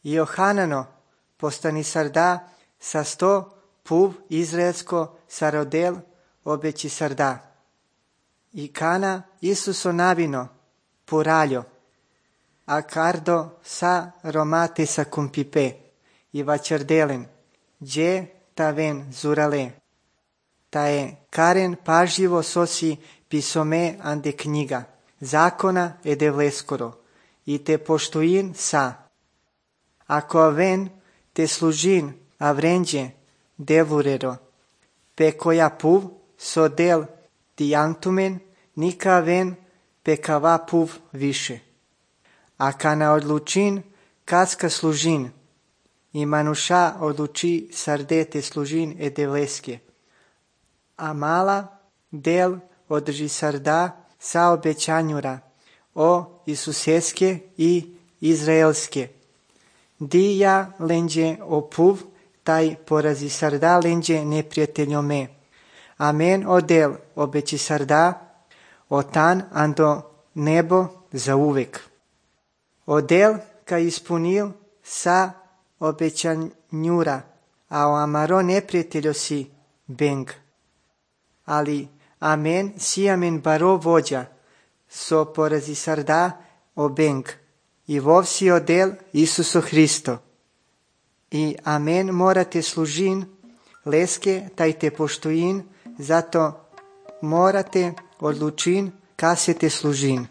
Johanano, postani sarda sa 100 puv izraelsko sarodel obeći sarda. I kana Isuso navino, puraglio, accardo sa romate sa cumpipe, i vačardelen, gdje ta ven zurale. Ta je karen pažljivo sosi pisome ande knjiga, zakona ed evleskoro, i te poštuin sa. Ako ven te služin avrenđe devurero, pe koja puv so del diantumen, nika ven pe kava puv više. A kana odlučin kaska služin, i manuša odluči sardete služin ed evleske. A mala del održi sarda sa obećanjura o Isuseske i Izraelske. Di ja lenđe o puv, taj porazi sarda lenđe neprijateljome. Amen odel obeći sarda, otan ando nebo za uvek. Odel ka ispunil sa obećanjura, a o amaro neprijateljo si beng. Ali amen si amen baro vođa, so porazi sarda o beng. I vov si odel Isuso Hristo. I amen morate služin, leske taj te poštuin, zato morate odlučin kasete služin.